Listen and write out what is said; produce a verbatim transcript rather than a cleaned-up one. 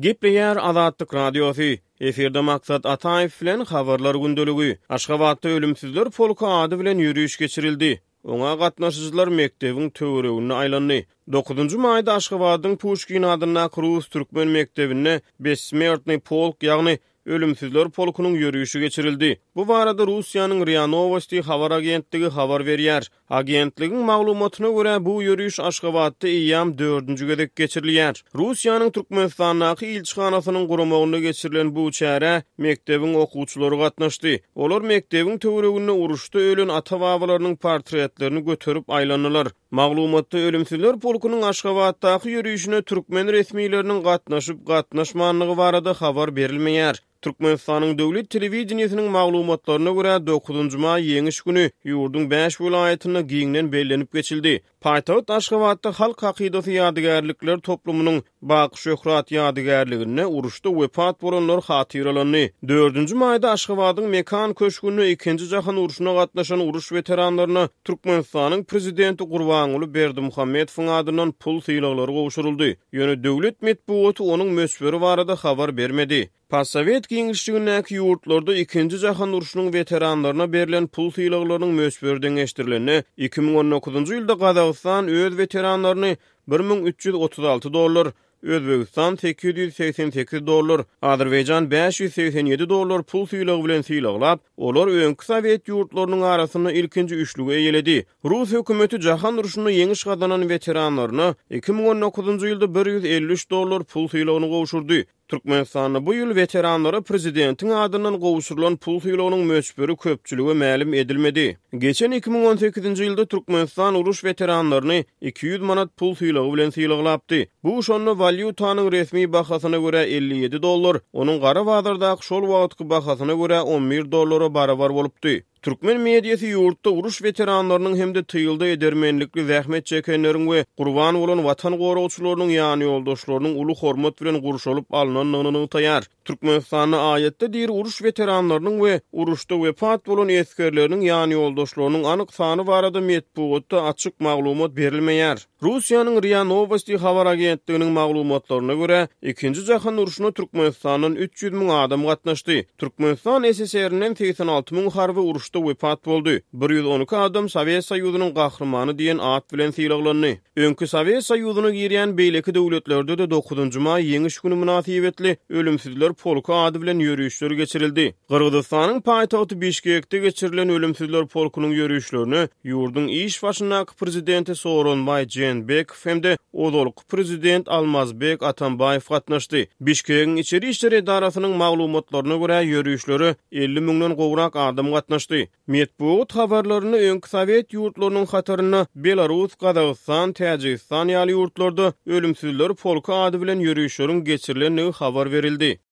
Gepleýär Azatlyk Radiosy. Efirde Maksat Ataýew bilen Habarlar gündeligi. Aşgabatda Ölümsizler polky ady bilen ýöriş geçirildi. Oňa gatnaşyjylar mekdebiň töwereginde aýlandy. Dokuzynjy maýda Aşgabadyň Puşkin adyndaky rus-türkmen mekdebinde Bessmertnyý polk, ýagny Ölümsizler polkunyň ýörişi geçirildi. Bu barada Russiýanyň RIA Nowosti habar agentligi habar berýär. Agentligiň maglumatyna görä, bu ýöriş Aşgabatda eýýäm dördünji gezek geçirilýär. Russiýanyň Türkmenistandaky ilçihanasynyň guramagynda geçirilen bu çärä mekdebiň okuwçylary gatnaşdy. Olar mekdebiň töwereginde uruşda ölen ata-babalarynyň portretlerini göterip aýlandylar. Maglumatda Ölümsizler polkunyň Aşgabatdaky ýörişine türkmen resmileriniň gatnaşyp-gatnaşmandygy barada habar berilmeýär. Türkmenistanyň döwlet telewideniýesiniň maglumatlaryna görä, dokuzynjy maý Ýeňiş güni ýurduň bäş welaýatynda giňden bellenip geçildi. Paýtagt Aşgabatda Halk hakydasy ýadygärlikler toplumynyň Baky şöhrat ýadygärliginde uruşda wepat bolanlar hatyralandy. Dördünji maýda Aşgabadyň Mekan köşgünde Ikinji jahan urşuna gatnaşan uruş weteranlaryna Türkmenistanyň Prezidenti Gurbanguly Berdimuhamedowyň adyndan pul sylaglary gowşuryldy. Ýöne döwlet metbugaty onuň möçberi barada habar bermedi. Postsowet giňişligindäki ýurtlarda Ikinji jahan urşunyň weteranlaryna berlen pul sylaglarynyň möçberi deňeşdirilende, iki müň on dokuzynjy ýylda Gazagystan öz weteranlaryny bir müň üç ýüz otuz alty dollar, Özbegistan sekiz ýüz segsen sekiz dollar, Azerbaýjan bäş ýüz segsen ýedi dollar pul sylagy bilen sylaglap, olar öňki sowet ýurtlarynyň arasynda ilkinji üçlügi eýeledi. Rus hökümeti jahan urşunda ýeňiş gazanan weteranlaryna iki müň on dokuzynjy ýylda bir ýüz elli üç dollar pul sylagyny gowşurdy. Türkmenistanda bu ýyl weteranlara prezidentiň adyndan gowşurylan pul sylagynyň möçberi köpçülige mälim edilmedi. Geçen iki müň on sekizinji ýylda Türkmenistan uruş weteranlaryny iki ýüz manat pul sylagy bilen sylaglapdy. Bu şonda walýutanyň resmi bahasyna görä elli ýedi dollar, onuň gara bazardaky şol wagtky bahasyna görä on bir dollara barabar bolupdy. Türkmen mediasy ýurtda uruş weteranlarynyň hem-de tylda edermenlikli zähmet çekenleriň we gurban bolan watan goragçylarynyň ýanýoldaşlarynyň uly hormat bilen gurşalyp alnandygyny nygtaýar. Türkmenistanda aýatda diri uruş weteranlarynyň we uruşda wepat bolan esgerleriniň ýanýoldaşlarynyň anyk sany barada metbugatda açyk maglumat berilmeýär. Russiýanyň RIA Nowosti habar agentliginiň maglumatlaryna görä, Ikinji jahan urşuna Türkmenistandan üç ýüz müň adam gatnaşdy. Türkmenistan S S R-inden segsen alty müň harby uruşda wepat boldy. Bir ýüz on iki adam Sowet Soýuzynyň gahrymany diýen at bilen sylaglandy. Öňki Sowet Soýuzyna girýän beýleki döwletlerde-de dokuzynjy maý Ýeňiş güni mynasybetli Ölümsizler polky ady bilen ýörişler geçirildi. Gyrgyzystanyň paýtagty Bişkekde geçirilen Ölümsizler polkunyň ýörişlerine ýurduň iş başyndaky prezidenti Sooronbaý Jeenbekow hem-de ozalky prezident Almazbek Atambaýew gatnaşdy. Bişkegiň içeri işler edarasynyň maglumatlaryna görä ýörişlere elli müňden gowrak adam gatnaşdy. Metbugat habarlarynda öňki sowet ýurtlarynyň hatarynda Belarus, Gazagystan, Täjigistan ýaly ýurtlarda Ölümsizler polky ady bilen ýörişleriň geçirilendigi habar berildi.